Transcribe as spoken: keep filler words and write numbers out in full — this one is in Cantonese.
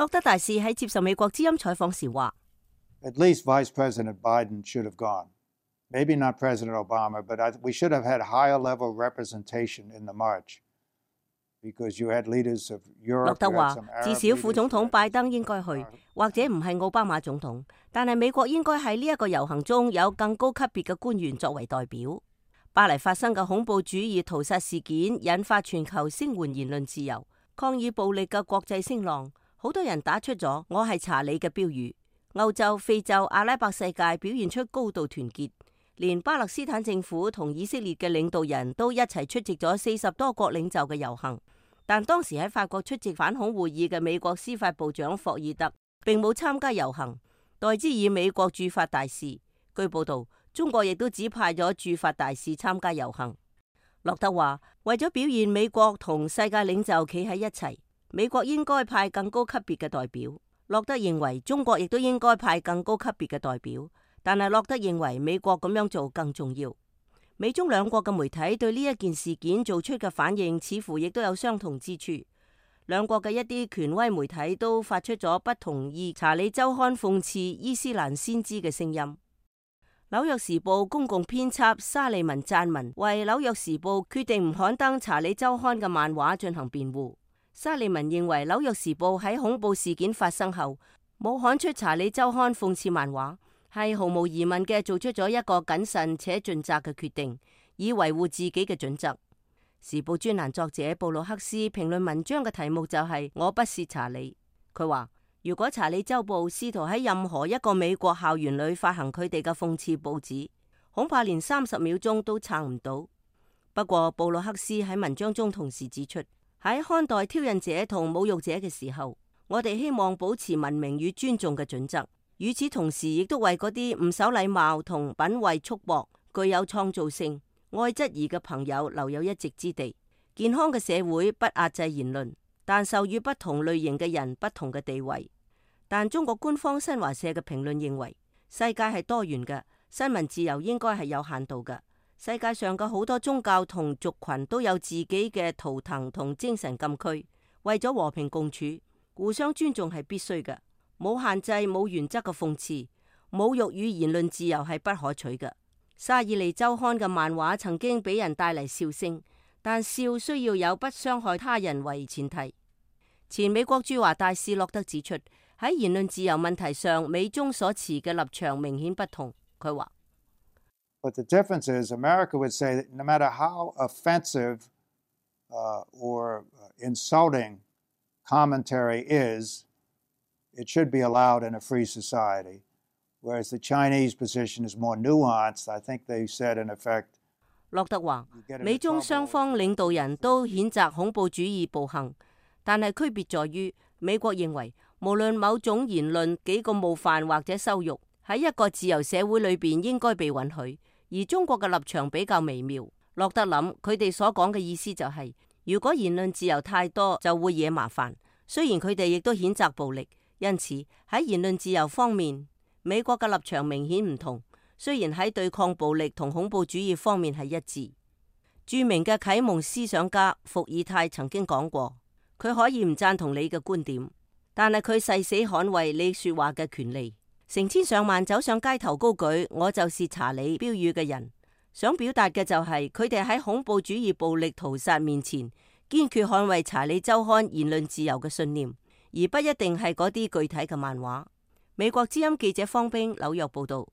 洛德大使喺接受美國之音採訪時話 At least Vice President Biden should have gone. Maybe not President Obama, but I, we should have had higher level representation in the march because you had leaders of Europe. 洛德 you had 話 some Arab 至少副總 leaders, 統 you had 拜 some 登應該去， Arab- 或者唔係奧巴馬總統，但係美國應該喺呢一個遊行中有更高級別嘅官員作為代表。巴黎發生嘅恐怖主義屠殺事件引發全球聲援言論自由、抗議暴力嘅國際聲浪，好多人打出咗我係查理嘅標語。歐洲、非洲、阿拉伯世界表現出高度團結，連巴勒斯坦政府同以色列嘅領導人都一齊出席咗四十多國領袖嘅遊行。但當時喺法國出席反恐會議嘅美國司法部長霍爾特並冇參加遊行，代之以美國駐法大使。據報道，中國亦都指派咗駐法大使參加遊行。洛德話：為咗表現美國同世界領袖企喺一齊，美國應該派更高級別嘅代表。洛德認為中國亦都應該派更高級別嘅代表，但係洛德認為美國咁樣做更重要。美中兩國嘅媒體對呢一件事件做出嘅反應似乎亦都有相同之處。兩國嘅一啲權威媒體都發出咗不同意查理周刊諷刺伊斯蘭先知嘅聲音。紐約時報公共編輯沙利文撰文為紐約時報決定唔刊登查理周刊嘅漫畫進行辯護。沙利文認為紐約時報喺恐怖事件發生後冇刊出查理周刊諷刺漫畫，係毫無疑問嘅做出咗一個謹慎且盡責嘅決定，以維護自己嘅準則。時報專欄作者布魯克斯評論文章嘅題目就係、是、我不是查理。佢話如果查理周報試圖喺任何一個美國校園裏發行佢哋嘅諷刺報紙，恐怕連三十秒鐘都撐唔到。不過布魯克斯喺文章中同時指出，喺看待挑釁者同侮辱者嘅時候，我哋希望保持文明與尊重嘅準則，與此同時亦都為嗰啲唔守禮貌同品味束縛、具有創造性、愛質疑嘅朋友留有一席之地。健康嘅社會不壓制言論，但授予不同類型嘅人不同嘅地位。但中國官方新華社嘅評論認為，世界係多元嘅，新聞自由應該係有限度嘅。世界上嘅好多宗教同族群都有自己嘅圖騰同精神禁區，為咗和平共處，互相尊重係必須嘅。冇限制、冇原則嘅諷刺、侮辱與言論自由係不可取嘅。沙爾利周刊嘅漫畫曾經俾人帶嚟笑聲，但笑需要有不傷害他人為前提。前美國駐華大使洛德指出，喺言論自由問題上，美中所持嘅立場明顯不同。佢話But the difference is, America would say that no matter how offensive uh, or insulting commentary is, it should be allowed in a free society. Whereas the Chinese position is more nuanced. I think they said, in effect, 洛德話，美中雙方領導人都譴責恐怖主義暴行，但係區別在於，美國認為無論某種言論幾個冒犯或者羞辱，喺一個自由社會裏邊應該被允許。而中國嘅立場比較微妙。洛德諗佢哋所講嘅意思就係、是，如果言論自由太多就會惹麻煩。雖然佢哋亦都譴責暴力，因此喺言論自由方面，美國嘅立場明顯唔同。雖然喺對抗暴力同恐怖主義方面係一致。著名嘅啟蒙思想家伏爾泰曾經講過，佢可以唔贊同你嘅觀點，但係佢誓死捍衛你說話嘅權利。成千上萬走上街頭高舉我就是查理標語嘅人，想表達嘅就係佢哋喺恐怖主義暴力屠殺面前堅決捍衛查理周刊言論自由嘅信念，而不一定係嗰啲具體嘅漫畫。美國之音記者方冰紐約報道。